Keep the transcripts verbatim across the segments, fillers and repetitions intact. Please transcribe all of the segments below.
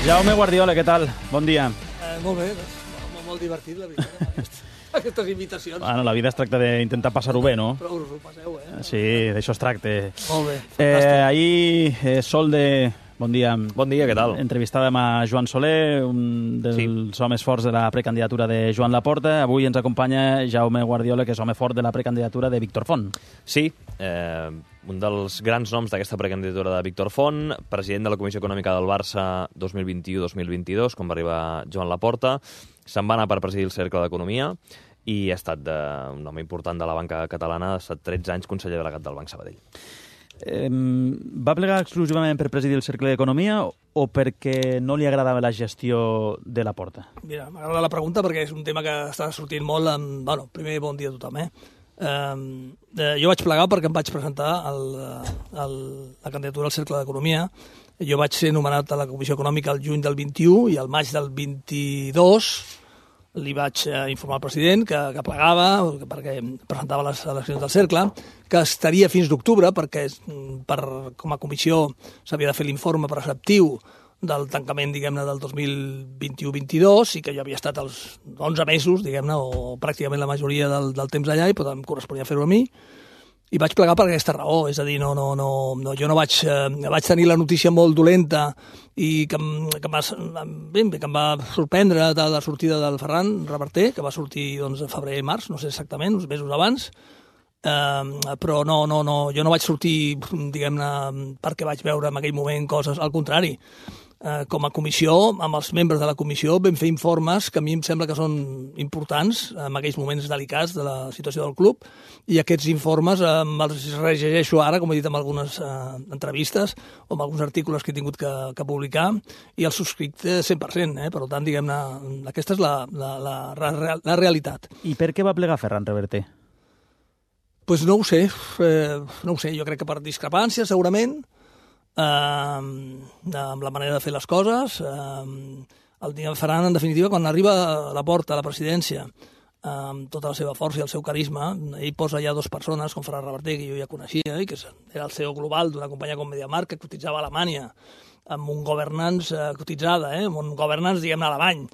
Jaume Guardiola, què tal? Bon dia. Eh, molt bé, molt, molt divertit, la veritat, aquestes invitacions. Bueno, la vida es tracta d'intentar passar-ho bé, no? Però us ho passeu, eh? Sí, d'això es tracta. Molt bé, Eh, fantàstic. ahir, eh, Sol de... Bon dia. Bon dia, què tal? Entrevistàvem a Joan Soler, un dels sí. homes forts de la precandidatura de Joan Laporta. Avui ens acompanya Jaume Guardiola, que és home fort de la precandidatura de Víctor Font. Sí, eh, un dels grans noms d'aquesta precandidatura de Víctor Font, president de la Comissió Econòmica del Barça dos mil vint-i-u dos mil vint-i-dos, quan va arribar Joan Laporta. Se'n va anar per presidir el Cercle d'Economia i ha estat de, un home important de la banca catalana, ha estat tretze anys conseller delegat del Banc Sabadell. Eh, va plegar exclusivament per presidir el Cercle d'Economia o perquè no li agradava la gestió de Laporta? Mira, m'agrada la pregunta perquè és un tema que està sortint molt. Amb... Bueno, primer bon dia a tothom, eh? Eh, eh, jo vaig plegar perquè em vaig presentar el, el, la candidatura al Cercle d'Economia. Jo vaig ser nomenat a la Comissió Econòmica el juny del vint-i-u i al maig del vint-i-dos li vaig eh, informar al president que, que plegava, perquè presentava les eleccions del Cercle, que estaria fins d'octubre, perquè per, com a comissió s'havia de fer l'informe preceptiu del tancament, diguem-ne, del dos mil vint-i-u vint-i-dos, i que jo havia estat els onze mesos, diguem-ne, o pràcticament la majoria del, del temps allà, i per tant em corresponia fer-ho a mi. I vaig plegar per aquesta raó, és a dir, no, no, no, no, jo no vaig, eh, vaig tenir la notícia molt dolenta i que, em, que, em va, bé, que em va sorprendre de la sortida del Ferran Reverter, que va sortir doncs, a febrer i març, no sé exactament, uns mesos abans, eh, però no, no, no, jo no vaig sortir, diguem-ne, perquè vaig veure en aquell moment coses, al contrari. Eh, com a comissió, amb els membres de la comissió, vam fer informes que a mi em sembla que són importants en aquells moments delicats de la situació del club, i aquests informes eh, els rellegeixo ara, com he dit en algunes eh, entrevistes o en alguns articles que he tingut que, que publicar, i els subscric cent per cent, eh? Per tant, diguem-ne, aquesta és la, la, la, la, la realitat. I per què va plegar Ferran Reverter? Pues no ho sé, eh, no ho sé, jo crec que per discrepància, segurament, Uh, amb la manera de fer les coses. Uh, el dia Ferran, en definitiva, quan arriba a la porta a la presidència, uh, amb tota la seva força i el seu carisma, ell posa ja dues persones, com Ferran Reverter, que jo ja coneixia, i que era el C E O global d'una companyia com MediaMarkt, que cotitzava a Alemanya, amb un governance uh, cotitzada, eh, amb un governance, diguem-ne, alemany.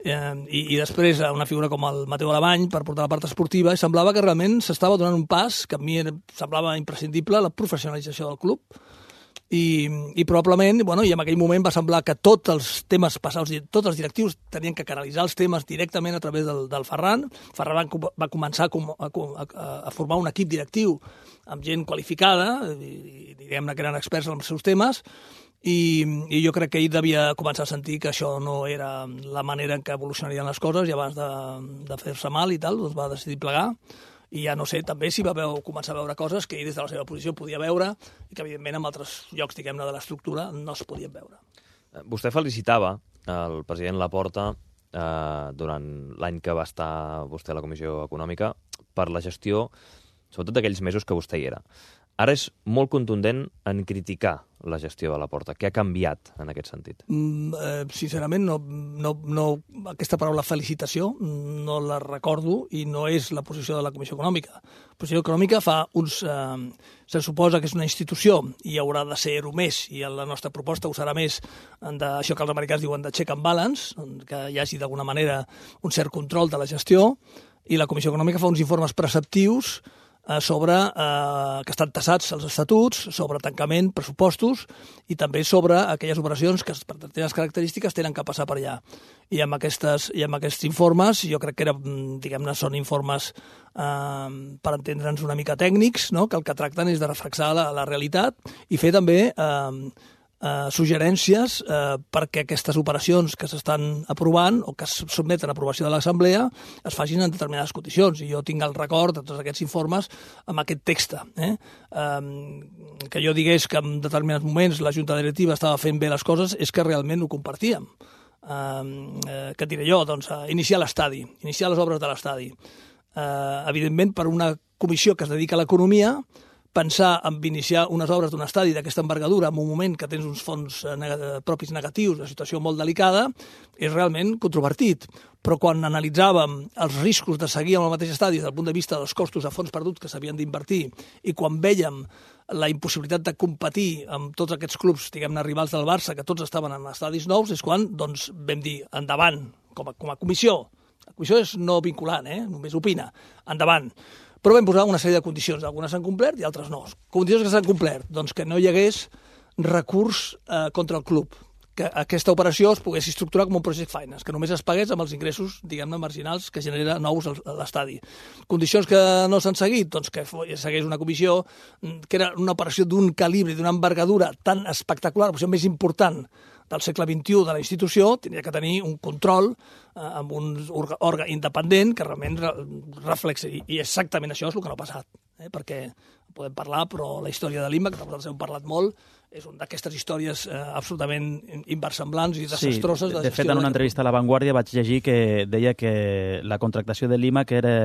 Uh, i, i després una figura com el Mateu Alemany per portar la part esportiva, i semblava que realment s'estava donant un pas que a mi semblava imprescindible, la professionalització del club. I, i probablement, bueno, i en aquell moment va semblar que tots els temes passats, tots els directius tenien que canalitzar els temes directament a través del, del Ferran. Ferran va, va començar a, a, a formar un equip directiu amb gent qualificada, i, diguem-ne que eren experts en els seus temes, i, i jo crec que ell devia començar a sentir que això no era la manera en què evolucionarien les coses, i abans de, de fer-se mal i tal, doncs va decidir plegar. I ja no sé, també si va veu, començar a veure coses que ell des de la seva posició podia veure i que, evidentment, en altres llocs, diguem-ne, de l'estructura no es podien veure. Vostè felicitava el president Laporta eh, durant l'any que va estar vostè a la Comissió Econòmica per la gestió, sobretot d'aquells mesos que vostè hi era. Ara és molt contundent en criticar la gestió de Laporta. Què ha canviat en aquest sentit? Mm, eh, sincerament, no, no, no, aquesta paraula felicitació no la recordo i no és la posició de la Comissió Econòmica. La Comissió Econòmica fa uns... Eh, se suposa que és una institució i haurà de ser-ho més, i la nostra proposta ho serà més d'això que els americans diuen de check and balance, que hi hagi d'alguna manera un cert control de la gestió, i la Comissió Econòmica fa uns informes preceptius sobre, eh, que estan tassats els estatuts, sobre tancament, pressupostos, i també sobre aquelles operacions que per determinades característiques tenen que passar per allà. I amb, aquestes, i amb aquests informes, jo crec que era, diguem-ne, són informes eh, per entendre'ns una mica tècnics, no? Que el que tracten és de reflexar la, la realitat i fer també eh, Uh, suggerències uh, perquè aquestes operacions que s'estan aprovant o que es sotmeten a aprovació de l'Assemblea es facin en determinades condicions. I jo tinc el record de tots aquests informes amb aquest text. Eh? Um, que jo digués que en determinats moments la Junta Directiva estava fent bé les coses és que realment ho compartíem. Um, uh, què et diré jo? Doncs uh, iniciar l'estadi, iniciar les obres de l'estadi. Uh, evidentment, per una comissió que es dedica a l'economia, pensar en iniciar unes obres d'un estadi d'aquesta envergadura en un moment que tens uns fons propis negatius, una situació molt delicada, és realment controvertit. Però quan analitzàvem els riscos de seguir amb el mateix estadi des del punt de vista dels costos de fons perduts que s'havien d'invertir i quan vèiem la impossibilitat de competir amb tots aquests clubs, diguem-ne, rivals del Barça, que tots estaven en estadis nous, és quan doncs, vam dir endavant, com a, com a comissió. La comissió és no vinculant, eh? Només opina. Endavant. Però vam posar una sèrie de condicions. Algunes s'han complert i altres no. Condicions que s'han complert, doncs que no hi hagués recurs eh, contra el club, que aquesta operació es pogués estructurar com un project finance, que només es pagués amb els ingressos, diguem-ne, marginals que genera nous a l'estadi. Condicions que no s'han seguit, doncs que segueix una comissió que era una operació d'un calibre, d'una envergadura tan espectacular, la operació més important del segle vint-i-u de la institució, tenia que tenir un control eh, amb un òrgan independent que realment re reflexi. I exactament això és el que no ha passat, eh? Perquè podem parlar, però la història de l'I M A, que nosaltres hem parlat molt, és una d'aquestes històries eh, absolutament inversemblants i desastroses. Sí, de, de, de fet, en una entrevista a La Vanguardia vaig llegir que deia que la contractació de l'I M A que era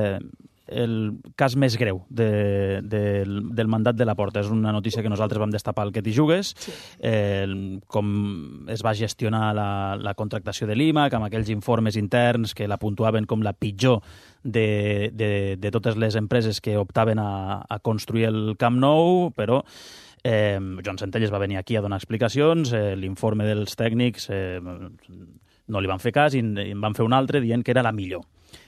el cas més greu de, de, del mandat de Laporta. És una notícia que nosaltres vam destapar al Que t'hi jugues, sí. eh, com es va gestionar la, la contractació de l'I M A, amb aquells informes interns que la puntuaven com la pitjor de, de, de totes les empreses que optaven a, a construir el Camp Nou, però Eh, Joan Centelles va venir aquí a donar explicacions, eh, l'informe dels tècnics eh, no li van fer cas i en van fer un altre dient que era la millor.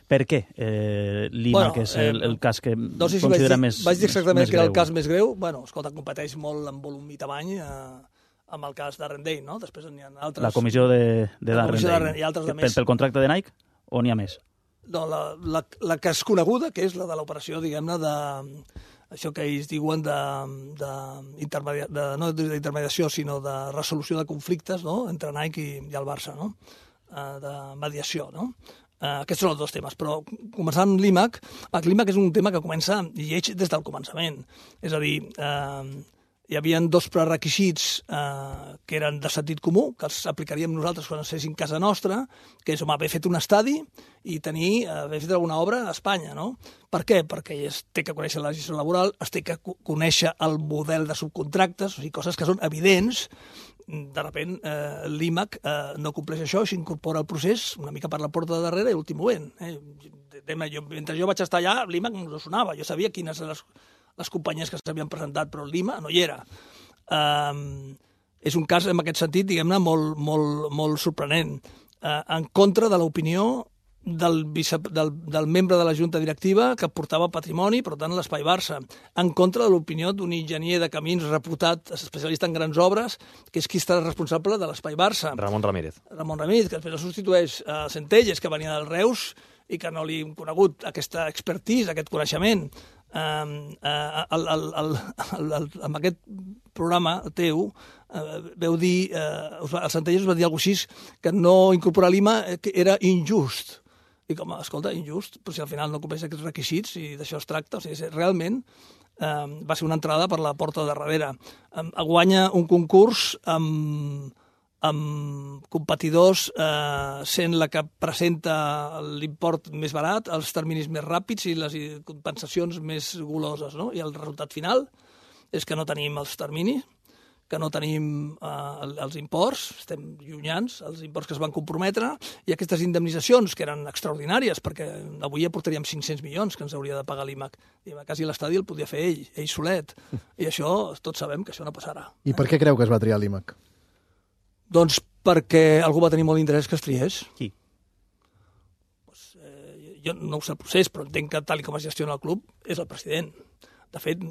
Per què eh, l'I M A, bueno, que és el, el cas que no sé si considera vaig dir, més, vaig dir exactament més que era greu? El cas més greu. Bueno, escolta, competeix molt en volum i tamany eh, amb el cas d'Arrendale, no? Després n'hi ha altres... La comissió de, de d'Arrendale. I altres de més. Pel contracte de Nike o n'hi ha més? No, la, la, la que és coneguda, que és la de l'operació, diguem-ne, de... això que ells diuen de, de, intermedia, de no d'intermediació, sinó de resolució de conflictes, no?, entre Nike i, i el Barça, no?, uh, de mediació, no? Uh, aquests són els dos temes, però començant amb l'I M A C, l'I M A C és un tema que comença lleig des del començament, és a dir, uh, hi havia dos prerequisits eh, que eren de sentit comú, que els aplicaríem nosaltres quan ens fessin casa nostra, que és, home, haver fet un estadi i tenir, haver fet alguna obra a Espanya, no? Per què? Perquè es té que conèixer la legislació laboral, es té que conèixer el model de subcontractes, o sigui, coses que són evidents. De sobte, eh, l'I M A C eh, no compleix això i s'incorpora al procés una mica per la porta de darrere i l'últim moment. Eh? Jo, mentre jo vaig estar allà, l'I M A C no sonava, jo sabia quines eren les les companyies que s'havien presentat, però l'I M A no hi era. Um, és un cas, en aquest sentit, diguem-ne, molt, molt, molt sorprenent. Uh, en contra de l'opinió del, vice, del, del membre de la Junta Directiva que portava patrimoni, per tant, l'Espai Barça. En contra de l'opinió d'un enginyer de camins reputat, especialista en grans obres, que és qui està responsable de l'Espai Barça. Ramon Ramírez. Ramon Ramírez, que després el substitueix a Centelles, que venia del Reus, i que no li hem conegut aquesta expertise, aquest coneixement. Um, uh, el, el, el, el, el, amb aquest programa teu uh, veu dir, uh, el Centelles us va dir alguna cosa així, que no incorporar l'I M A que era injust. I com, escolta, injust, però si al final no compleix aquests requisits i d'això es tracta, o sigui, realment um, va ser una entrada per la porta de darrere. Um, guanya un concurs amb... amb competidors eh, sent la que presenta l'import més barat, els terminis més ràpids i les compensacions més goloses, no? I el resultat final és que no tenim els terminis, que no tenim eh, els imports, estem llunyans, els imports que es van comprometre, i aquestes indemnitzacions, que eren extraordinàries, perquè avui ja portaríem cinc-cents milions que ens hauria de pagar l'I M A C. I quasi l'estadi el podia fer ell, ell solet. I això, tots sabem que això no passarà. I per què creu que es va triar l'I M A C? Doncs perquè algú va tenir molt d'interès que es triés. Qui? Pues, eh, jo no ho sé el procés, però entenc que tal com es gestiona el club és el president. De fet,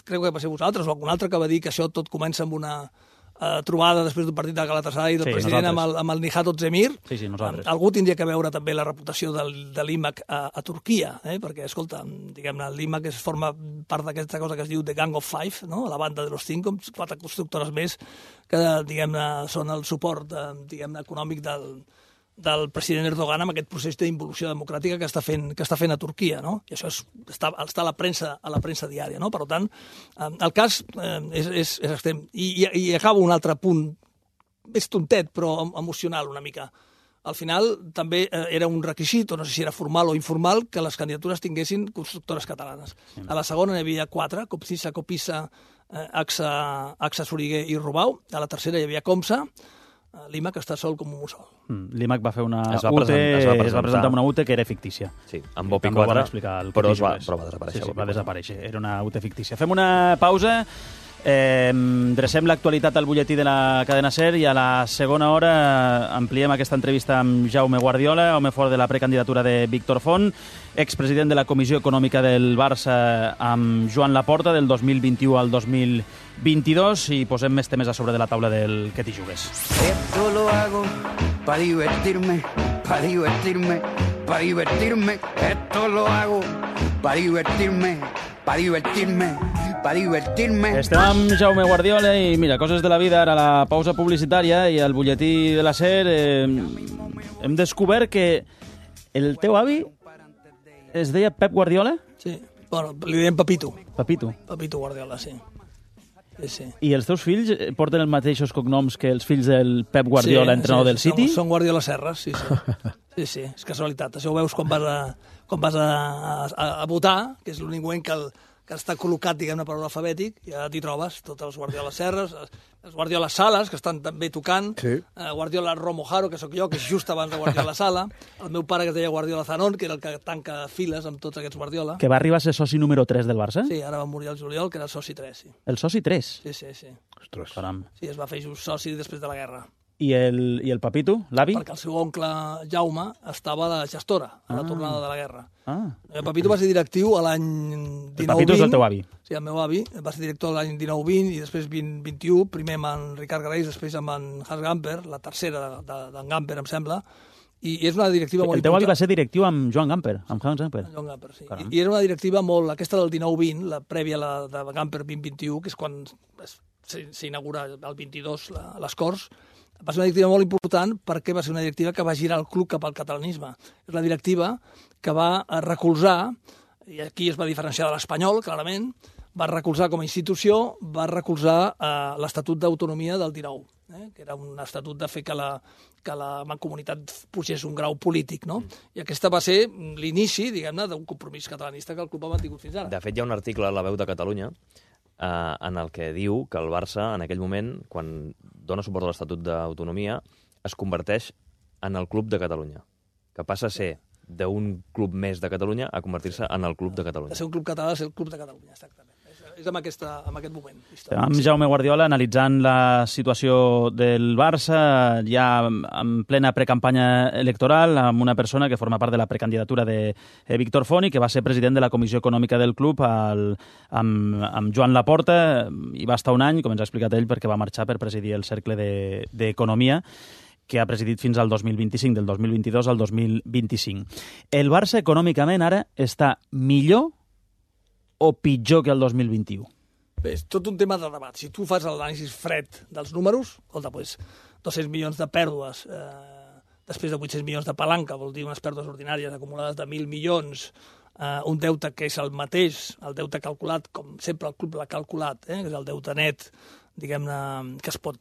crec que va ser vosaltres o algun altre que va dir que això tot comença amb una eh, trobada després d'un partit de Galatasaray del sí, president amb el, amb el Nihat Ozdemir. Sí, sí, nosaltres. Algú tindria que veure també la reputació del, de l'I M A C a, a Turquia, eh? Perquè, escolta, diguem-ne, l'I M A C es forma part d'aquesta cosa que es diu The Gang of Five, no? La banda de los cinco, quatre constructores més que, diguem-ne, són el suport, diguem-ne, econòmic del, del president Erdogan amb aquest procés d'involució democràtica que està fent, que està fent a Turquia, no? I això és, està, està a la premsa, a la premsa diària, no? Per tant, el cas eh, és, és, és extrem. I, i, I acabo un altre punt, més tontet, però emocional una mica. al final també era un requisit, o no sé si era formal o informal, que les candidatures tinguessin constructores catalanes. A la segona n'hi havia quatre, Copcisa, Copisa, AXA, AXA Soriguer i Rubau. A la tercera hi havia Comsa, l'I M A C està sol com un mussol. Mm, L'I M A C va fer una es va U T, present, es va es va presentar una U T que era fictícia. Sí, amb Bopi També ho van quatre, explicar al però, Petit es va, Jugues. però va desaparèixer. Sí, sí, Bopi va quatre. desaparèixer. Era una U T fictícia. Fem una pausa. Eh, drecem l'actualitat al butlletí de la cadena SER i a la segona hora ampliem aquesta entrevista amb Jaume Guardiola, home fort de la precandidatura de Víctor Font, expresident de la Comissió Econòmica del Barça amb Joan Laporta del dos mil vint-i-u al dos mil vint-i-dos i posem més temes a sobre de la taula del Que t'hi jugues. Esto lo hago para divertirme, para divertirme, para divertirme. Esto lo hago para divertirme, para divertirme, para divertirme. Estem amb Jaume Guardiola i mira, coses de la vida, ara la pausa publicitària i al butlletí de la SER eh, hem descobert que el teu avi es deia Pep Guardiola? Sí, bueno, li diem Pepito. Pepito. Pepito Guardiola, sí. Sí, sí. I els teus fills porten els mateixos cognoms que els fills del Pep Guardiola, sí, entrenador sí, del City? Són, són Guardiola Serres, sí, sí. Sí, sí, és casualitat. Això ho veus quan vas a, quan vas a, a, a votar, que és l'únic moment que, el, que està col·locat, diguem-ne, per ordre alfabètic, ja t'hi trobes, tots els Guardiola Serres, els Guardiola Sales, que estan també tocant, Sí. eh, Guardiola Romojaro, que sóc jo, que és just abans de Guardiola Sala, el meu pare, que es deia Guardiola Zanon, que era el que tanca files amb tots aquests Guardiola. Que va arribar a ser soci número tres del Barça? Sí, ara va morir el juliol, que era el soci tres, sí. El soci tres? Sí, sí, sí. Ostres. Caram. Sí, es va fer just soci després de la guerra. I el, i el Papito, l'avi? Perquè el seu oncle Jaume estava a la gestora, a la Ah. tornada de la guerra. Ah, El Papito va ser directiu a l'any dinou vint. Papito és el teu avi. Sí, el meu avi. Va ser director l'any dinou vint i després vint vint-i-u, primer amb en Ricard Garells, després amb en Hans Gamper, la tercera d'en de, de, Gamper, em sembla, i és una directiva molt el teu avi important. va ser directiu amb Joan Gamper, amb Hans Gamper. Joan Gamper, sí. Caram. I, I era una directiva molt... Aquesta del dinou vint, la prèvia a la de Gamper vint vint-i-u, que és quan es- s'inaugura el vint-i-dos la, les Corts, va ser una directiva molt important perquè va ser una directiva que va girar el club cap al catalanisme. És la directiva que va eh, recolzar, i aquí es va diferenciar de l'Espanyol, clarament, va recolzar com a institució, va recolzar eh, l'Estatut d'Autonomia del dinou, eh, que era un estatut de fer que la, que la mancomunitat pugés un grau polític, no? I aquesta va ser l'inici, diguem-ne, d'un compromís catalanista que el club ha mantingut fins ara. De fet, hi ha un article a La Veu de Catalunya eh, en el que diu que el Barça, en aquell moment, quan dona suport a l'Estatut d'Autonomia, es converteix en el Club de Catalunya, que passa a ser d'un club més de Catalunya a convertir-se en el Club de De Catalunya. ser un club català, de ser el club de Catalunya, exactament. És, és amb, aquesta, amb aquest moment. històric. Amb Jaume Guardiola analitzant la situació del Barça ja en plena precampanya electoral amb una persona que forma part de la precandidatura de eh, Víctor Font i que va ser president de la Comissió Econòmica del club al, amb, amb Joan Laporta. Hi va estar un any, com ens ha explicat ell, perquè va marxar per presidir el Cercle de- d'Economia que ha presidit fins al dos mil vint-i-cinc, del dos mil vint-i-dos al dos mil vint-i-cinc. El Barça econòmicament ara està millor o pitjor que el dos mil vint-i-u? Bé, és tot un tema de debat. Si tu fas l'anàlisi fred dels números, escolta, doncs, dos-cents milions de pèrdues, eh, després de vuit-cents milions de palanca, vol dir unes pèrdues ordinàries acumulades de mil milions, eh, un deute que és el mateix, el deute calculat, com sempre el club l'ha calculat, eh, que és el deute net, diguem-ne, que es pot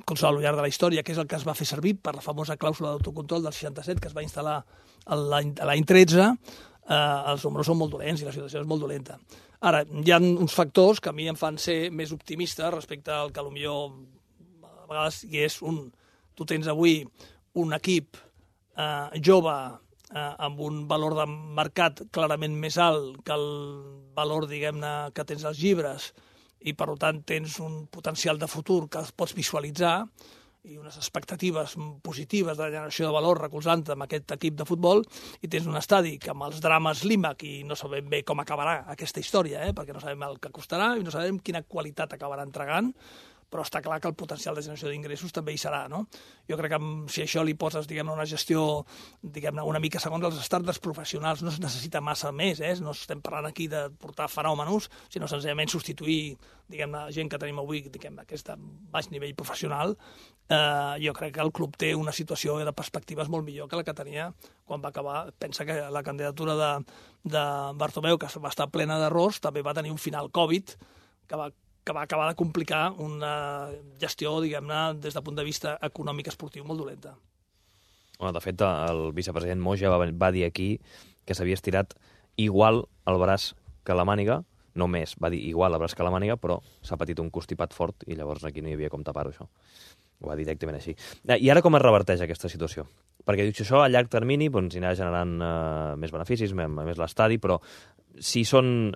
consolar al llarg de la història, que és el que es va fer servir per la famosa clàusula d'autocontrol del seixanta-set que es va instal·lar a l'any a l'any tretze, eh, els números són molt dolents i la situació és molt dolenta. Ara, hi ha uns factors que a mi em fan ser més optimista respecte al que potser a vegades hi és un... Tu tens avui un equip eh, jove eh, amb un valor de mercat clarament més alt que el valor, diguem-ne, que tens als llibres, i per tant tens un potencial de futur que pots visualitzar i unes expectatives positives de generació de valor recolzant amb aquest equip de futbol, i tens un estadi que amb els drames l'I M A C, i no sabem bé com acabarà aquesta història, eh? perquè no sabem el que costarà i no sabem quina qualitat acabarà entregant, però està clar que el potencial de generació d'ingressos també hi serà, no? Jo crec que si això li poses, diguem-ne, una gestió, diguem-ne, una mica segons els estàndards professionals, no es necessita massa més, eh? No estem parlant aquí de portar fenòmenos, sinó senzillament substituir, diguem-ne, gent que tenim avui, diguem-ne, aquest baix nivell professional. Eh, jo crec que el club té una situació de perspectives molt millor que la que tenia quan va acabar. Pensa que la candidatura de, de Bartomeu, que va estar plena d'errors, també va tenir un final Covid, que va que va acabar de complicar una gestió, diguem-ne, des del punt de vista econòmic esportiu molt dolenta. Bueno, de fet, el vicepresident Moja va, va dir aquí que s'havia estirat igual el braç que la màniga, no més, va dir igual el braç que la màniga, però s'ha patit un constipat fort i llavors aquí no hi havia com tapar-ho, això. Ho va dir directament així. I ara com es reverteix aquesta situació? Perquè dius això a llarg termini doncs, anirà generant eh, més beneficis, més, més l'estadi, però si són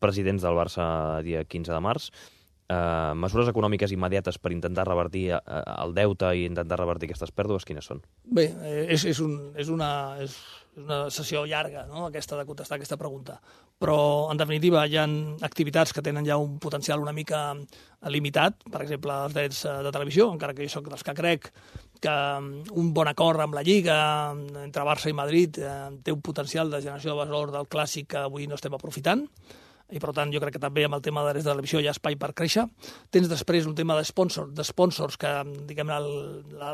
presidents del Barça dia quinze de març, eh, mesures econòmiques immediates per intentar revertir eh, el deute i intentar revertir aquestes pèrdues, quines són? Bé, és, és, un, és, una, és una sessió llarga, no?, aquesta de contestar aquesta pregunta. Però, en definitiva, hi ha activitats que tenen ja un potencial una mica limitat, per exemple, els drets de televisió, encara que jo soc dels que crec que un bon acord amb la Lliga entre Barça i Madrid eh, té un potencial de generació de valor del clàssic que avui no estem aprofitant, i per tant jo crec que també amb el tema de drets de televisió hi ha espai per créixer. Tens després un tema de sponsors, de sponsors que, diguem-ne,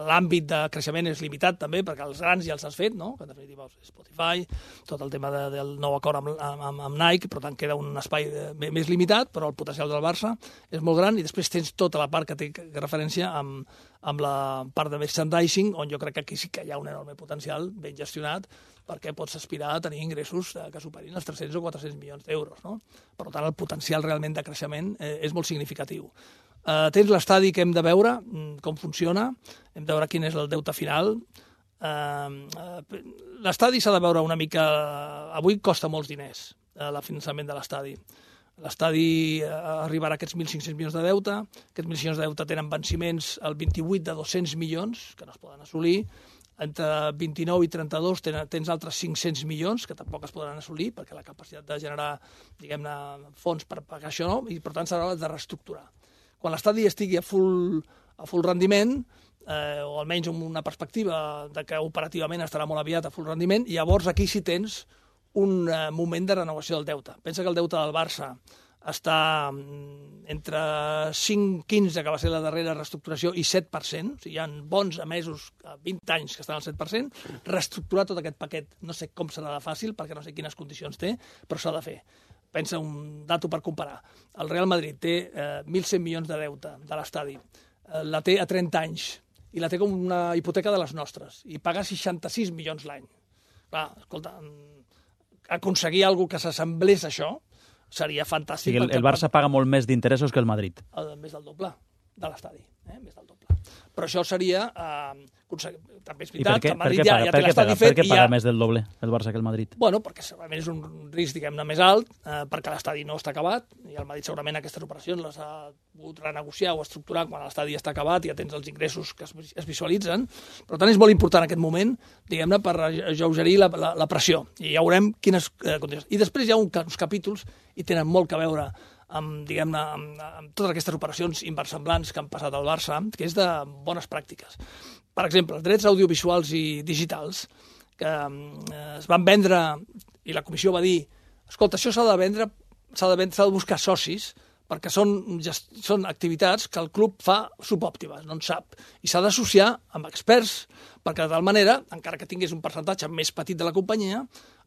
l'àmbit de creixement és limitat també, perquè els grans ja els has fet, no?, que en definitiva Spotify, tot el tema de, del nou acord amb, amb, amb Nike, per tant queda un espai de, més limitat, però el potencial del Barça és molt gran, i després tens tota la part que té referència amb, amb la part de merchandising, on jo crec que aquí sí que hi ha un enorme potencial ben gestionat, perquè pots aspirar a tenir ingressos que superin els tres-cents o quatre-cents milions d'euros, no? Per tant, el potencial realment de creixement eh, és molt significatiu. Eh, tens l'estadi que hem de veure com funciona, hem de veure quin és el deute final. Eh, eh, l'estadi s'ha de veure una mica... Avui costa molts diners, eh, el finançament de l'estadi. L'estadi eh, arribarà a aquests mil cinc-cents milions de deute, aquests mil cinc-cents milions de deute tenen venciments el vint-i-vuit de dos-cents milions, que no es poden assolir, entre vint-i-nou i trenta-dos tens altres cinc-cents milions, que tampoc es podran assolir, perquè la capacitat de generar, diguem-ne, fons per pagar això no, i per tant s'haurà de reestructurar. Quan l'estadi estigui a full, a full rendiment, eh, o almenys amb una perspectiva de que operativament estarà molt aviat a full rendiment, llavors aquí sí tens un eh, moment de renovació del deute. Pensa que el deute del Barça està entre cinc coma quinze, que va ser la darrera reestructuració, i set per cent, o sigui, hi ha bons emesos, vint anys, que estan al set per cent, reestructurar tot aquest paquet. No sé com serà de fàcil, perquè no sé quines condicions té, però s'ha de fer. Pensa un dato per comparar. El Real Madrid té eh, mil cent milions de deute de l'estadi, eh, la té a trenta anys, i la té com una hipoteca de les nostres, i paga seixanta-sis milions l'any. Clar, escolta, aconseguir alguna que s'assemblés a això seria fantàstic. Sí, el, el Barça paga molt més d'interessos que el Madrid. El, més del doble de l'estadi, eh? més del doble. Però això seria... Eh, també és veritat que el Madrid ja, ja té l'estadi fet. Per què paga ja... més del doble el Barça que el Madrid? Bueno, perquè segurament és un risc, diguem-ne, més alt, eh, perquè l'estadi no està acabat, i el Madrid segurament aquestes operacions les ha pogut renegociar o estructurar quan l'estadi està acabat i ja tens els ingressos que es, es visualitzen. Per tant, és molt important en aquest moment, diguem-ne, per alleugerir la, la, la pressió. I ja veurem quines eh, condicions. I després hi ha un, uns capítols, i tenen molt a veure amb, diguem-ne, amb, amb totes aquestes operacions inversemblants que han passat al Barça, que és de bones pràctiques. Per exemple, els drets audiovisuals i digitals, que eh, es van vendre, i la comissió va dir, escolta, això s'ha de vendre, s'ha de, vendre, s'ha de buscar socis, perquè són, gest, són activitats que el club fa subòptimes, no en sap, i s'ha d'associar amb experts, perquè de tal manera, encara que tingués un percentatge més petit de la companyia,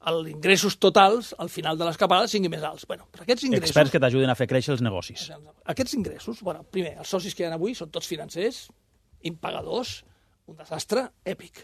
els ingressos totals, al final de l'escapada, siguin més alts. Bueno, però aquests ingressos... Experts que t'ajuden a fer créixer els negocis. Aquests ingressos, bueno, primer, els socis que hi ha avui són tots financers, impagadors, un desastre èpic.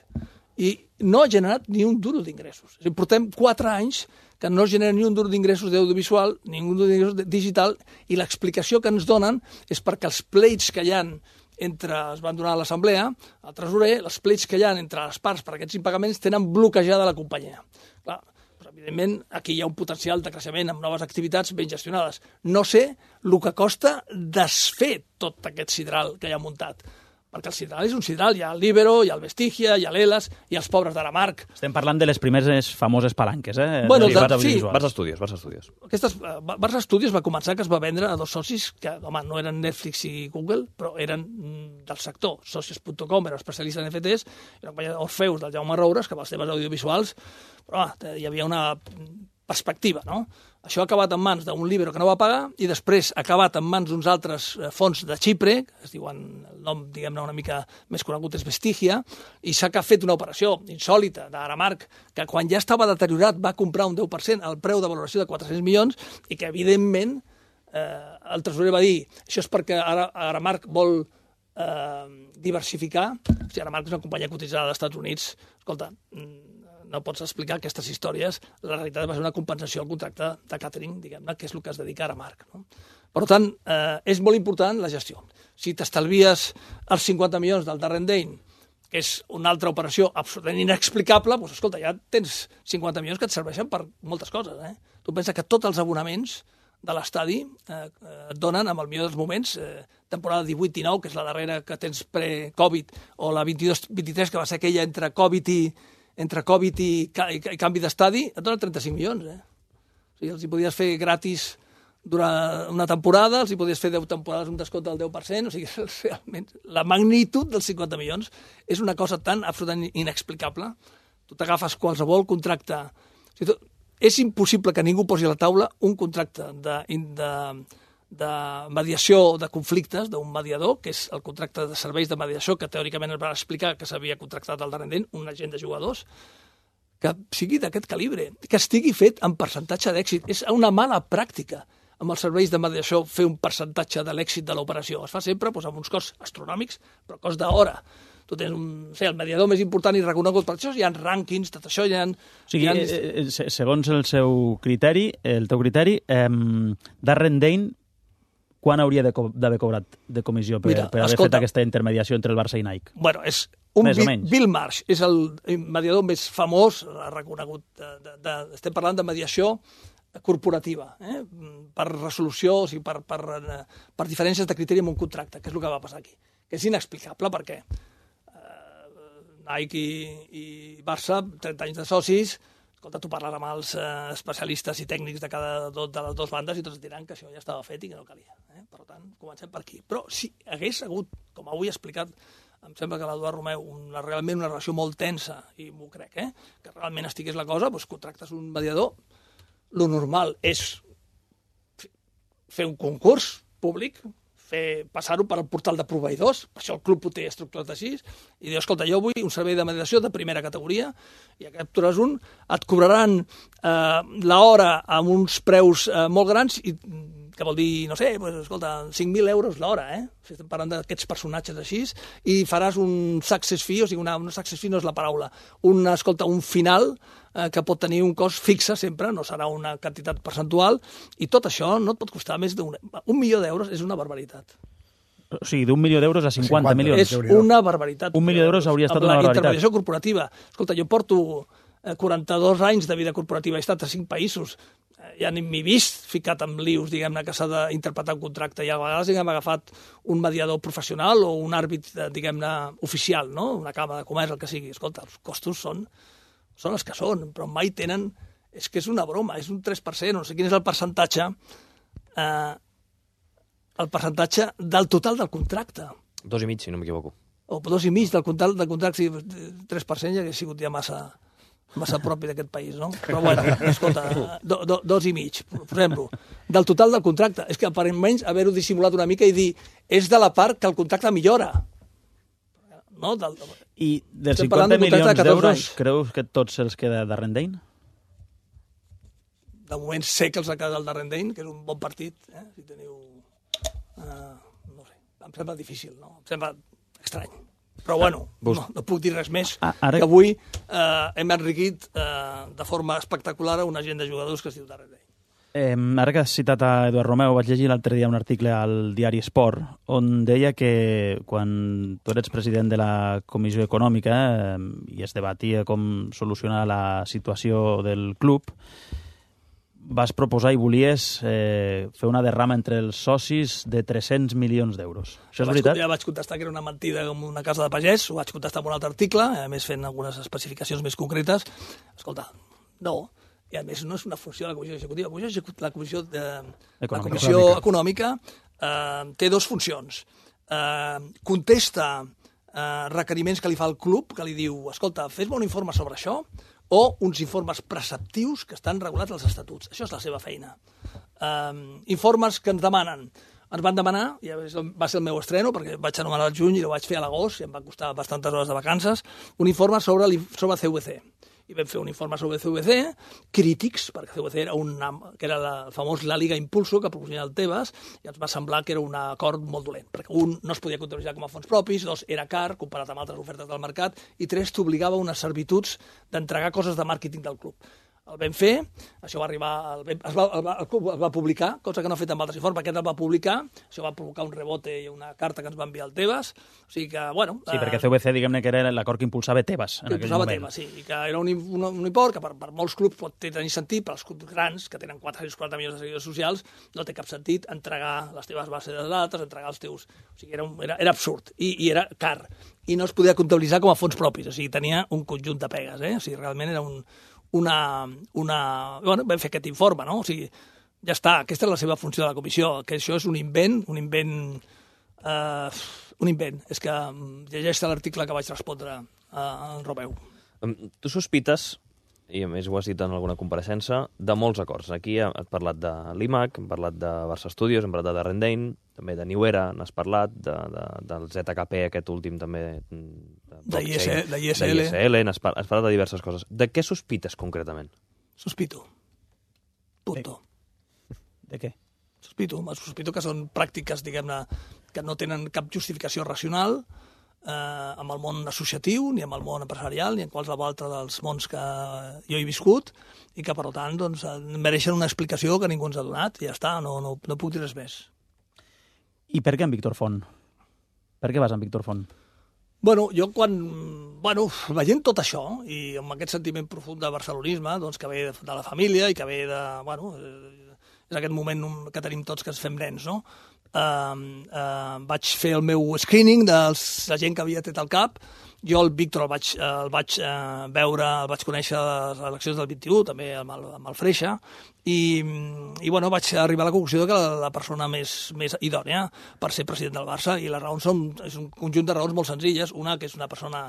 I no ha generat ni un duro d'ingressos. Portem quatre anys que no genera ni un duro d'ingressos d'audiovisual, ni un duro d'ingressos digital, i l'explicació que ens donen és perquè els pleits que hi ha entre, es van donar a l'assemblea, al tresorer, els pleits que hi ha entre les parts per aquests impagaments tenen bloquejada la companyia. Clar, doncs, evidentment, aquí hi ha un potencial de creixement amb noves activitats ben gestionades. No sé el que costa desfer tot aquest sidral que hi ha muntat, perquè el sidral és un sidral, hi ha el Libero, hi ha el Vestigia, hi ha l'Elas, hi ha els pobres d'Aramarc. Estem parlant de les primeres famoses palanques, eh? Bueno, sí, de, sí. Barça Studios, Barça Studios. Aquestes, uh, Barça Studios va començar que es va vendre a dos socis que, home, no eren Netflix i Google, però eren mm, del sector. Socios punt com era especialista en N F Ts, era una companyia d'Orfeus del Jaume Roures, que amb els temes audiovisuals, però home, hi havia una perspectiva, no? Això ha acabat en mans d'un Libero que no va pagar i després ha acabat en mans d'uns altres fons de Xipre, que es diuen, el nom, diguem-ne, una mica més conegut és Vestigia, i s'ha fet una operació insòlita d'Aramarc, que quan ja estava deteriorat va comprar un deu per cent al preu de valoració de quatre-cents milions i que, evidentment, eh, el tresorer va dir això és perquè ara Aramarc vol eh, diversificar. O sigui, Aramark és una companyia cotitzada als Estats Units. Escolta, no pots explicar aquestes històries. La realitat va ser una compensació al contracte de catering, diguem-ne, que és el que es dedica a Aramark. No? Per tant, eh, és molt important la gestió. Si t'estalvies els cinquanta milions del Darren Dane, que és una altra operació absolutament inexplicable, doncs, escolta, ja tens cinquanta milions que et serveixen per moltes coses. Eh? Tu pensa que tots els abonaments de l'estadi eh, et donen, amb el millor dels moments, eh, temporada divuit dinou, que és la darrera que tens pre-Covid, o la vint-i-dos vint-i-tres, que va ser aquella entre Covid i, entre Covid i, i, i canvi d'estadi, et donen trenta-cinc milions. Eh? O sigui, els hi podies fer gratis durant una temporada, els hi podies fer deu temporades un descompte del deu per cent, o sigui, realment, la magnitud dels cinquanta milions és una cosa tan absolutament inexplicable. Tu t'agafes qualsevol contracte... O sigui, tu, és impossible que ningú posi a la taula un contracte de, de, de mediació de conflictes d'un mediador, que és el contracte de serveis de mediació, que teòricament es va explicar que s'havia contractat al Darren Dane, un agent de jugadors, que sigui d'aquest calibre, que estigui fet en percentatge d'èxit. És una mala pràctica amb els serveis de mediació fer un percentatge de l'èxit de l'operació. Es fa sempre doncs, amb uns costs astronòmics, però cost d'hora. Tu tens un, sé, el mediador més important i reconegut per això, hi ha rànquings, tot això, hi ha... O sigui, hi ha... eh, segons el seu criteri, el teu criteri, eh, Darren Dane, quan hauria d'haver cobrat de comissió per, Mira, per haver escolta, fet aquesta intermediació entre el Barça i Nike? Bueno, és un Més o Bill, menys. Bill Marsh, és el mediador més famós, reconegut, de, de, de, estem parlant de mediació corporativa, eh? Per resolució, o sigui, per, per, per diferències de criteri en un contracte, que és el que va passar aquí. Que és inexplicable perquè Nike i, i Barça, trenta anys de socis, escolta, tu parles amb els eh, especialistes i tècnics de cada dos de les dues bandes i tots et diran que això ja estava fet i que no calia. Eh? Per tant, comencem per aquí. Però si hagués hagut, com avui he explicat, em sembla que l'Eduard Romeu, una, realment una relació molt tensa, i m'ho crec, eh? Que realment estigués la cosa, doncs contractes un mediador, lo normal és fer un concurs públic, fer passar-ho per al portal de proveïdors, per això el club ho té estructurat així, i diu, escolta, jo vull un servei de mediació de primera categoria, i aquest captures un, et cobraran eh, l'hora amb uns preus eh, molt grans, i que vol dir, no sé, pues, escolta, cinc mil euros l'hora, eh? Si estem parlant d'aquests personatges així, i faràs un success fee, o sigui, una, un success fee no és la paraula, un, escolta, un final eh, que pot tenir un cost fixe sempre, no serà una quantitat percentual, i tot això no et pot costar més d'un... Un milió d'euros és una barbaritat. O sigui, d'un milió d'euros a cinquanta milions. És una barbaritat. Un milió d'euros hauria estat una barbaritat. Amb la intermediació corporativa. Escolta, jo porto quaranta-dos anys de vida corporativa, he estat a cinc països, ja ni m'he vist ficat amb lius, diguem-ne, que s'ha d'interpretar un contracte, i a vegades hem agafat un mediador professional o un àrbit, diguem-ne, oficial, no? Una càmera de comerç, el que sigui. Escolta, els costos són, són els que són, però mai tenen... És que és una broma, és un tres per cent, no sé quin és el percentatge, eh, el percentatge del total del contracte. Dos i mig, si no m'equivoco. O dos i mig del contracte, del contracte, sí, tres per cent ja hauria sigut ja massa... massa propi d'aquest país, no? Però bueno, escolta, do, do, dos i mig, posem-lo. Del total del contracte. És que aparentment haver-ho dissimulat una mica i dir és de la part que el contracte millora. No? Del... I dels cinquanta milions d'euros, creus que tots se'ls queda Darren Dane? De moment sé que els ha quedat el Darren Dane, que és un bon partit, eh? Si teniu... Uh, no sé, em sembla difícil, no? Em sembla estrany. Però bueno, no, no puc dir res més, ah, ara... que avui eh, hem enriquit eh, de forma espectacular una gent de jugadors que es diu Darren Dane. Eh, ara que has citat a Eduard Romeu, vaig llegir l'altre dia un article al diari Esport on deia que quan tu eres president de la Comissió Econòmica eh, i es debatia com solucionar la situació del club, vas proposar i volies eh, fer una derrama entre els socis de tres-cents milions d'euros. Això és veritat? Ja vaig contestar que era una mentida com una casa de pagès, ho vaig contestar en un altre article, a més fent algunes especificacions més concretes. Escolta, no, i a més no és una funció de la Comissió Executiva. La Comissió, de, econòmica. La Comissió Econòmica eh, té dues funcions. Eh, contesta eh, requeriments que li fa el club, que li diu, escolta, fes-me un informe sobre això, o uns informes preceptius que estan regulats als estatuts. Això és la seva feina. Um, informes que ens demanen. Ens van demanar, i va ser el meu estreno, perquè vaig anomenar al juny i ho vaig fer a l'agost, i em va costar bastantes hores de vacances, un informe sobre, sobre C V C. i vam fer un informe sobre C V C, crítics, perquè C V C era, una, que era la, el famós La Liga Impulso, que proposava el Tebas, i ens va semblar que era un acord molt dolent, perquè un, no es podia comptabilitzar com a fons propis, dos, era car, comparat amb altres ofertes del mercat, i tres, t'obligava a unes servituds d'entregar coses de màrqueting del club. El vam fer, això va arribar, el, es va, el, va, el club es va publicar, cosa que no ha fet amb altres informes, aquest el va publicar, això va provocar un rebote i una carta que ens va enviar el Tebas, o sigui que, bueno... Sí, perquè C V C, diguem-ne que era l'acord que impulsava Tebas en aquell moment. Tebas, sí, i que era un, un, un import que per, per molts clubs pot tenir sentit, per als clubs grans, que tenen quatre-cents quaranta milions de seguidors socials, no té cap sentit entregar les teves bases de dades, entregar els teus... O sigui, era, un, era, era absurd, i, i era car, i no es podia comptabilitzar com a fons propis, o sigui, tenia un conjunt de pegues, eh? O sigui, realment era un... una... una... Bueno, vam fer aquest informe, no? O sigui, ja està, aquesta és la seva funció de la comissió, que això és un invent, un invent... Eh, un invent. És que llegeix l'article que vaig respondre al Romeu. Tu sospites, i a més ho has dit en alguna compareixença, de molts acords. Aquí has parlat de l'I M A C, hem parlat de Barça Studios, hem parlat de Darren Dane, també de New Era, n'has parlat, de, de, del Z K P, aquest últim també... De I S L. De I S L, has parlat de diverses coses. De què sospites concretament? Sospito. Punto. De què? Sospito. Sospito que són pràctiques, diguem-ne, que no tenen cap justificació racional eh, amb el món associatiu, ni amb el món empresarial, ni en qualsevol altre dels mons que jo he viscut, i que, per tant, doncs, mereixen una explicació que ningú ens ha donat, i ja està, no, no, no puc dir res més. I per què en Víctor Font? Per què vas en Víctor Font? Bueno, jo quan, bueno, veient tot això, i amb aquest sentiment profund de barcelonisme, doncs, que ve de la família i que ve de, bueno, és aquest moment que tenim tots que ens fem nens, no? Uh, uh, vaig fer el meu screening de la gent que havia tret el cap. Jo el Víctor el vaig, el vaig uh, veure, el vaig conèixer a les eleccions del vint-i-u, també amb el, amb el Freixa, i, i bueno, vaig arribar a la conclusió que la, la persona més, més idònia per ser president del Barça, i les raons són és un conjunt de raons molt senzilles. Una, que és una persona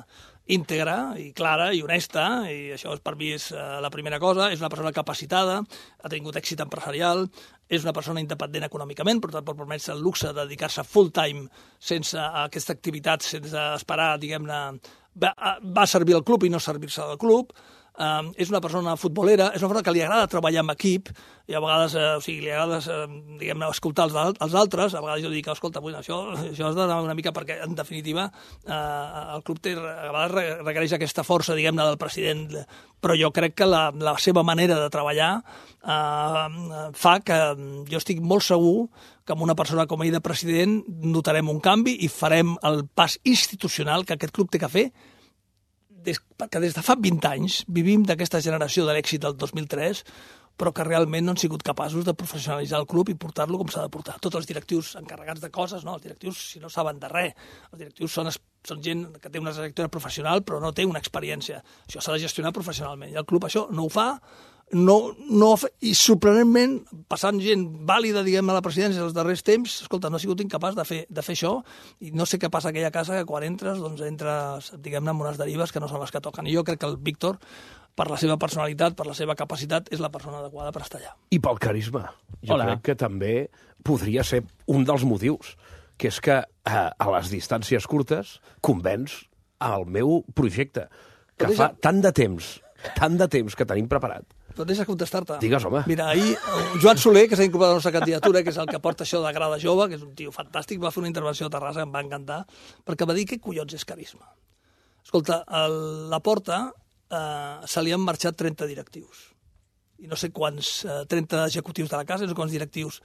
íntegra i clara i honesta, i això per mi és uh, la primera cosa. És una persona capacitada, ha tingut èxit empresarial, és una persona independent econòmicament, per tant pot permetre el luxe de dedicar-se full time sense aquesta activitat, sense esperar, diguem-ne, va, va servir al club i no servir-se al club. Uh, és una persona futbolera, és una persona que li agrada treballar en equip, i a vegades, eh, o sigui, li agrada, eh, diguem-ne, escoltar els, els altres. A vegades jo dic, escolta, bueno, això, això has d'anar una mica perquè, en definitiva, eh, el club té, a vegades requereix aquesta força, diguem-ne, del president, però jo crec que la, la seva manera de treballar eh, fa que jo estic molt segur que amb una persona com ell de president notarem un canvi i farem el pas institucional que aquest club té que fer, des, perquè des de fa vint anys vivim d'aquesta generació de l'èxit del dos mil tres, però que realment no han sigut capaços de professionalitzar el club i portar-lo com s'ha de portar. Tots els directius encarregats de coses, no? Els directius, si no saben de res, els directius són, són gent que té una trajectòria professional però no té una experiència. Això s'ha de gestionar professionalment, i el club això no ho fa, no, no, i sorprenentment, passant gent vàlida, diguem, a la presidència els darrers temps, escolta, no ha sigut incapaç de fer, de fer això, i no sé què passa a aquella casa, que quan entres, doncs entres, diguem-ne, amb unes derives que no són les que toquen. I jo crec que el Víctor, per la seva personalitat, per la seva capacitat, és la persona adequada per estar allà. I pel carisma. Jo Hola. crec que també podria ser un dels motius, que és que a, a les distàncies curtes convenç al meu projecte, que fa tant de temps, tant de temps que tenim preparat. Però deixa contestar-te. Digues, home. Mira, ahir Joan Soler, que s'ha incorporat a la nostra candidatura, que és el que porta això de Grada Jove, que és un tio fantàstic, va fer una intervenció a Terrassa que em va encantar, perquè va dir què collons és carisma. Escolta, a la Porta eh, se li han marxat trenta directius. I no sé quants, eh, trenta executius de la casa, no sé quants directius.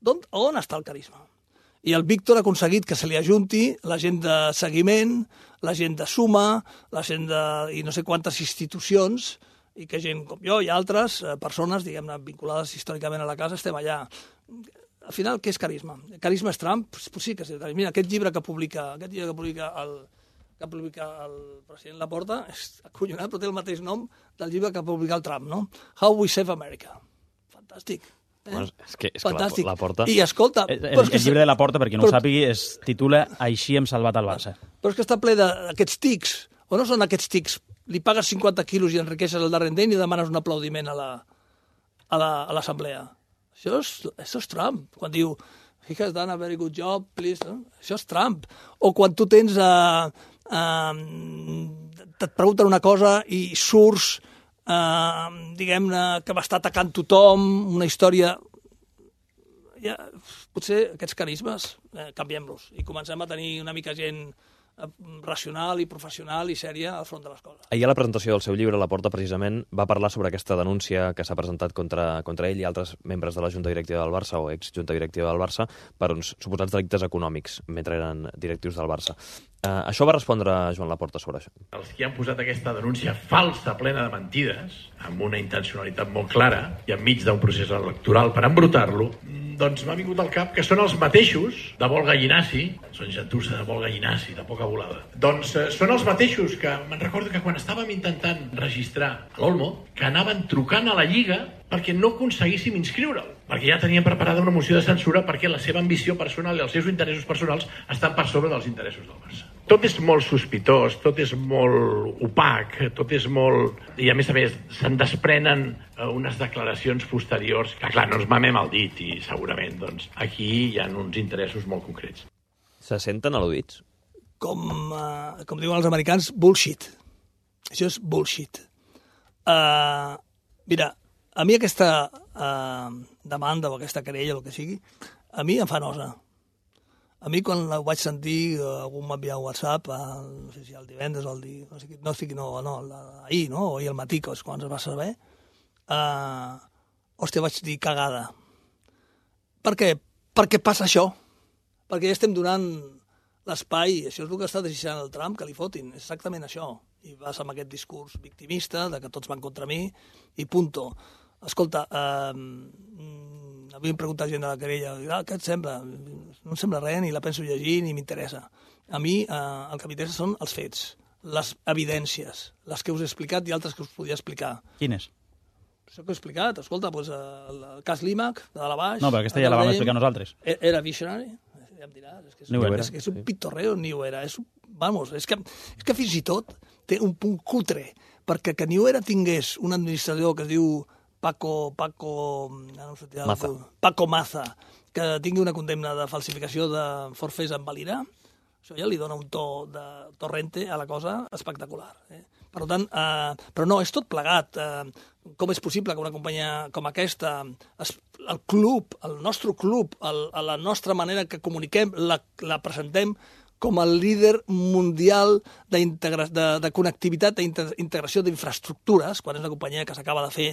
On, on està el carisma? I el Víctor ha aconseguit que se li ajunti la gent de seguiment, la gent de suma, la gent de... i no sé quantes institucions, i que gent com jo i altres eh, persones, diguem-ne, vinculades històricament a la casa, estem allà. Al final, què és carisma? Carisma és Trump? Pues, pues sí que és. Mira, aquest llibre que publica, aquest llibre que publica el, que publica el president Laporta és acollonat, però té el mateix nom del llibre que publica el Trump, no? How We Save America. Fantàstic. Eh? Bueno, és que, és que la, la Porta... I escolta... El, el, el llibre de la Porta, per qui no ho sàpigui, es titula Així hem salvat el Barça. Però és que està ple d'aquests tics. O no són aquests tics? Li pagues cinquanta quilos i enriqueixes el Darren Dane i demanes un aplaudiment a la a l'assemblea. Això, és, això és Trump. Quan diu, he has done a very good job, please. No? Això és Trump. O quan tu tens a, eh, et pregunten una cosa i surts, eh, diguem-ne, que va estar atacant tothom, una història... Ja, potser aquests carismes eh, canviem-los i comencem a tenir una mica gent racional i professional i sèria al front de les coses. Ahir a la presentació del seu llibre, Laporta, precisament, va parlar sobre aquesta denúncia que s'ha presentat contra, contra ell i altres membres de la Junta Directiva del Barça o ex-Junta Directiva del Barça per uns suposats delictes econòmics mentre eren directius del Barça. Uh, això va respondre Joan Laporta sobre això. Els que han posat aquesta denúncia falsa, plena de mentides, amb una intencionalitat molt clara i enmig d'un procés electoral per embrutar-lo, doncs m'ha vingut al cap que són els mateixos de vol gallinaci, són gentussa de vol gallinaci, de poca volada. Doncs eh, són els mateixos que, me'n recordo que quan estàvem intentant registrar a l'Olmo, que anaven trucant a la Lliga perquè no aconseguíssim inscriure'l, perquè ja tenien preparada una moció de censura perquè la seva ambició personal i els seus interessos personals estan per sobre dels interessos del Barça. Tot és molt sospitós, tot és molt opac, tot és molt... I a més a més se'n desprenen unes declaracions posteriors que, clar, no ens mamem el dit i segurament doncs, aquí hi ha uns interessos molt concrets. Se senten al·ludits? Com, uh, com diuen els americans, bullshit. Això és bullshit. Uh, mira, a mi aquesta uh, demanda o aquesta querella, el que sigui, a mi em fa nosa. A mi, quan ho vaig sentir, algú m'ha enviat un WhatsApp, el, no sé si el divendres o el dia... No sé, no, no, no, ahir, no? O ahir al matí, que és quan es va saber. Uh, hòstia, vaig dir cagada. Per què? Per què passa això? Perquè ja estem donant l'espai, això és el que està desitjant el Trump, que li fotin, és exactament això. I vas amb aquest discurs victimista, de que tots van contra mi, i punto. Escolta, eh, havien preguntat gent de la querella, ah, què et sembla? No em sembla res, ni la penso llegir, ni m'interessa. A mi eh, el que m'interessa són els fets, les evidències, les que us he explicat i altres que us podia explicar. Quines? Això que he explicat, escolta, doncs, el, el cas Límac, de la Baix... No, però aquesta ja la vam explicar nosaltres. Era visionari? Ja em diràs, és que és, Ni ho un, era. és, que és un pitorreo, ni ho era. És, un, vamos, és, que, és que fins i tot té un punt cutre, perquè que ni ho era tingués un administrador que es diu Paco, Paco, no sé, Maza. Paco Maza, que tingui una condemna de falsificació de forfers en valira, això ja li dona un to de torrente a la cosa espectacular. Eh? Per tant, eh, però no, és tot plegat. Eh, com és possible que una companyia com aquesta, es, el club, el nostre club, el, la nostra manera que comuniquem, la, la presentem com el líder mundial de, de, de connectivitat, d'integració d'infraestructures, quan és una companyia que s'acaba de fer,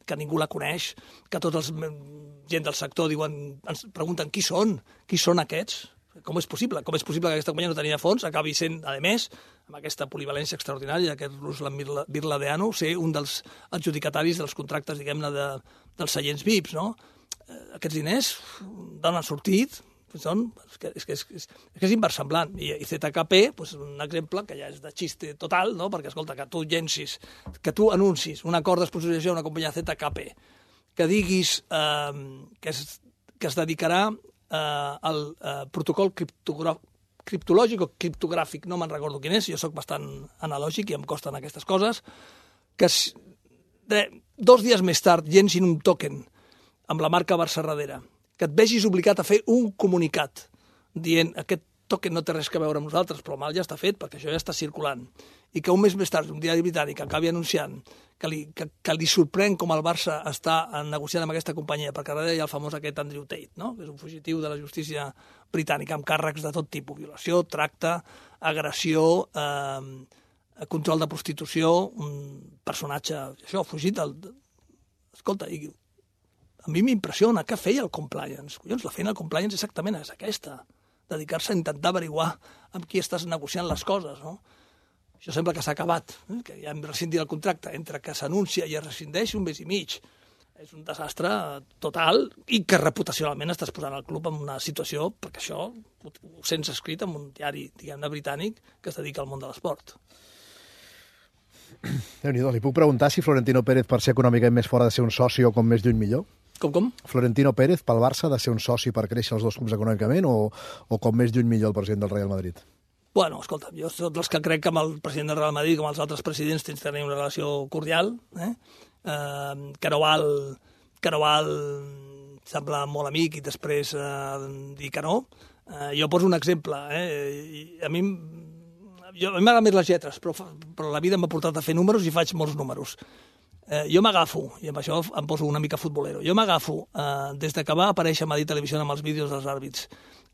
que ningú la coneix, que tots els gent del sector diuen, ens pregunten qui són, qui són aquests, com és possible, com és possible que aquesta companyia no tenia fons, acabi sent, a més, amb aquesta polivalència extraordinària, aquest Ruslan Birladeanu, ser un dels adjudicataris dels contractes, diguem-ne, de, dels seients V I Ps, no? Aquests diners d'on han sortit, són, és, que, és, que és, és, és que és inversemblant. I, i Z K P, doncs, un exemple que ja és de xiste total, no? Perquè, escolta, que tu llencis, que tu anuncis un acord d'esponsorització a una companyia Z K P, que diguis eh, que, es, que es dedicarà eh, al eh, protocol criptològic o criptogràfic, no me'n recordo quin és, jo sóc bastant analògic i em costen aquestes coses, que de, dos dies més tard llencin un token amb la marca Barça darrere, que et vegis obligat a fer un comunicat dient aquest token no té res a veure amb nosaltres, però mal ja està fet perquè això ja està circulant. I que un mes més tard un diari britànic acabi anunciant que li, que, que li sorprèn com el Barça està negociant amb aquesta companyia, perquè darrere hi ha el famós aquest Andrew Tate, no? Que és un fugitiu de la justícia britànica amb càrrecs de tot tipus, violació, tracte, agressió, eh, control de prostitució, un personatge, això, fugit del... Escolta, i a mi m'impressiona què feia el compliance. Collons, la feina del compliance exactament és aquesta, dedicar-se a intentar averiguar amb qui estàs negociant les coses, no? Això sembla que s'ha acabat, eh? Que ja hem rescindit el contracte, entre que s'anuncia i es rescindeix un mes i mig. És un desastre total i que reputacionalment estàs posant el club en una situació, perquè això ho, ho sents escrit en un diari, diguem-ne, britànic que es dedica al món de l'esport. Déu-n'hi-do, li puc preguntar si Florentino Pérez, per ser econòmicament més fort, ha de ser un soci o com més lluny millor? Com, com? Florentino Pérez, pel Barça, ha de ser un soci per créixer els dos clubs econòmicament o, o com més lluny millor el president del Real Madrid? Bueno, escolta, jo soc dels que crec que amb el president del Real Madrid, com els altres presidents, tens de tenir una relació cordial, eh? Eh, que no val, que no val semblar molt amic i després eh, dir que no. Eh, jo poso un exemple. Eh? I a mi jo, a mi m'agraden més les lletres, però, però la vida m'ha portat a fer números i faig molts números. Eh, jo m'agafo, i amb això em poso una mica futbolero, jo m'agafo, eh, des de que va aparèixer a Madrid Televisió amb els vídeos dels àrbits,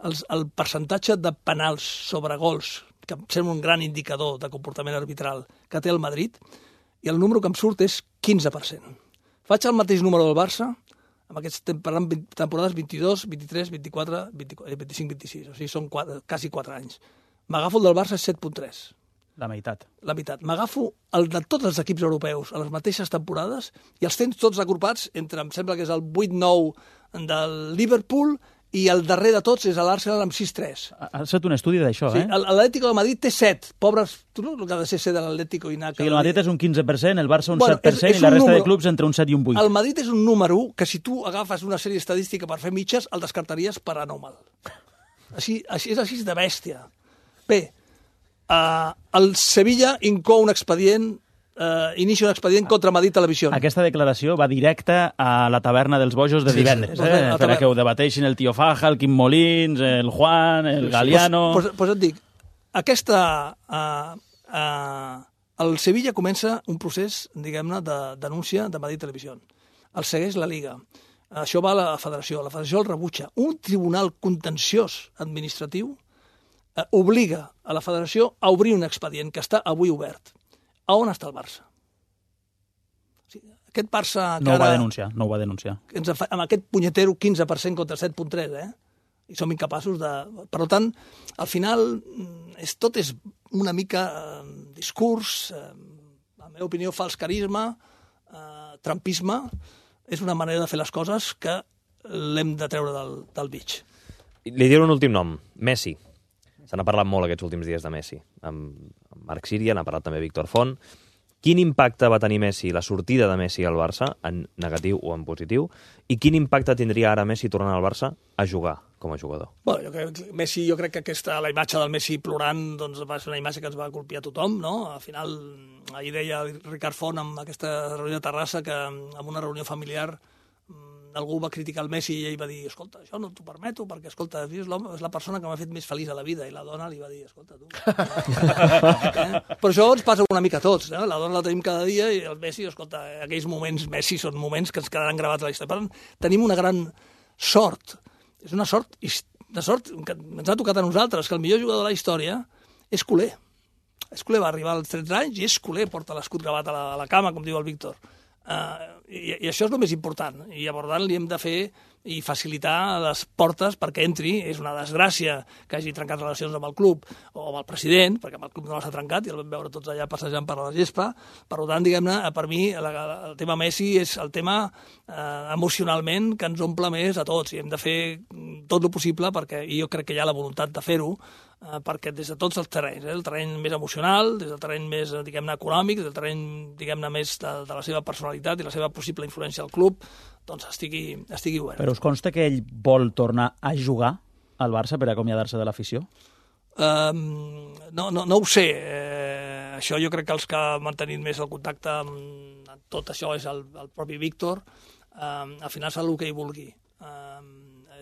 els, el percentatge de penals sobre gols, que em sembla un gran indicador de comportament arbitral, que té el Madrid, i el número que em surt és quinze per cent. Faig el mateix número del Barça, amb aquestes temporades vint-i-dos, vint-i-tres, vint-i-quatre, vint-i-cinc, vint-i-sis, o sigui, són quatre, quasi quatre anys. M'agafo el del Barça, set coma tres. La meitat. La meitat. M'agafo el de tots els equips europeus a les mateixes temporades i els tens tots agrupats entre, em sembla que és el vuit nou del Liverpool i el darrer de tots és l'Arsenal amb sis tres. Ha estat un estudi d'això, sí, eh? L'Atlético de Madrid té set. Pobres, tu no el que ha de ser set de l'Atlético i anar... O sigui, el Madrid és un quinze per cent, el Barça un bueno, set per cent és, és i la resta número... de clubs entre un set i un vuit. El Madrid és un número que si tu agafes una sèrie estadística per fer mitges, el descartaries per anòmal. Així, així, és així de bèstia. Bé, Uh, el Sevilla incou un expedient, uh, inicia un expedient contra Madrid Televisió. Aquesta declaració va directa a la taverna dels bojos de divendres, sí, sí. eh? Per a que ho debateixin el tio Faja, el Quim Molins, el Juan, el Galiano... Pues, pues, pues et dic, aquesta... Uh, uh, el Sevilla comença un procés, diguem-ne, de denúncia de Madrid Televisió. El segueix la Liga. Això va a la federació. La federació el rebutja. Un tribunal contenciós administratiu Eh, obliga a la federació a obrir un expedient que està avui obert. A on està el Barça? O sigui, aquest Barça... No ho va denunciar, no ho va denunciar. Ens fa, amb aquest punyetero quinze per cent contra set coma tres, eh? I som incapaços de... Per tant, al final, és, tot és una mica eh, discurs, eh, la meva opinió, fals carisma, eh, trampisme, és una manera de fer les coses que l'hem de treure del, del mig. Li diré un últim nom, Messi. Se n'ha parlat molt aquests últims dies de Messi. Amb Marc Síria, n'ha parlat també Víctor Font. Quin impacte va tenir Messi, la sortida de Messi al Barça, en negatiu o en positiu, i quin impacte tindria ara Messi tornant al Barça a jugar com a jugador? Bueno, jo crec, Messi, jo crec que aquesta, la imatge del Messi plorant doncs, va ser una imatge que ens va colpir a tothom, no? Al final, ahir deia Ricard Font amb aquesta reunió de Terrassa que en una reunió familiar algú va criticar el Messi i ell va dir, escolta, això no t'ho permeto perquè, escolta, és, és la persona que m'ha fet més feliç a la vida, i la dona li va dir, escolta, tu... eh? Però això ens passa una mica a tots, eh? La dona la tenim cada dia i el Messi, escolta, aquells moments Messi són moments que ens quedaran gravats a la història. Per tant, tenim una gran sort, és una sort, una sort que ens ha tocat a nosaltres, que el millor jugador de la història és culer. És culer, va arribar als tretze anys i és culer, porta l'escut gravat a la, a la cama, com diu el Víctor. Uh, i, i això és el més important, i llavors li hem de fer i facilitar les portes perquè entri. És una desgràcia que hagi trencat relacions amb el club o amb el president, perquè amb el club no les ha trencat i el vam veure tots allà passejant per la gespa. Per tant, diguem-ne, per mi la, la, el tema Messi és el tema eh, emocionalment que ens omple més a tots, i hem de fer tot el possible perquè, i jo crec que hi ha la voluntat de fer-ho, eh, perquè des de tots els terrenys, eh, el terreny més emocional, des del terreny més, diguem-ne, econòmic, des del terreny, diguem-ne, més de, de la seva personalitat i la seva possible influència al club, doncs estigui, estigui obert. Però us consta que ell vol tornar a jugar al Barça per acomiadar-se de l'afició? Um, no, no, no ho sé. Eh, això jo crec que els que han mantenit més el contacte amb tot això és el, el propi Víctor. Um, al final serà el que ell vulgui. Um,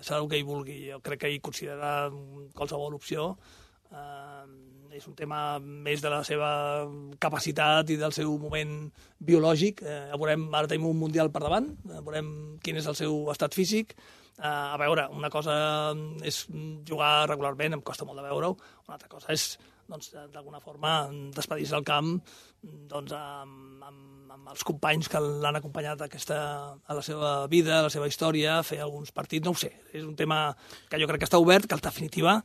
serà el que ell vulgui. Jo crec que ell considerarà qualsevol opció. Um, és un tema més de la seva capacitat i del seu moment biològic. Eh, veurem, ara tenim un Mundial per davant, eh, veurem quin és el seu estat físic. Eh, a veure, una cosa és jugar regularment, em costa molt de veure-ho, una altra cosa és, doncs, d'alguna forma, despedir-se al camp doncs, amb, amb, amb els companys que l'han acompanyat aquesta, a la seva vida, a la seva història, fer alguns partits, no ho sé. És un tema que jo crec que està obert, que en definitiva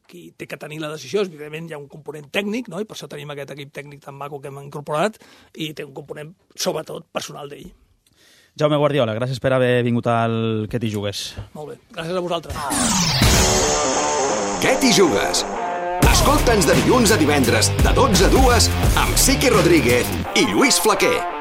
qui té que tenir la decisió, evidentment hi ha un component tècnic, no? I per això tenim aquest equip tècnic tan maco que hem incorporat, i té un component, sobretot, personal d'ell. Jaume Guardiola, gràcies per haver vingut al Què t'hi jugues. Molt bé, gràcies a vosaltres. Què t'hi jugues? Escolta'ns de dilluns a divendres, de dotze a dues, amb Siqui Rodríguez i Lluís Flaquer.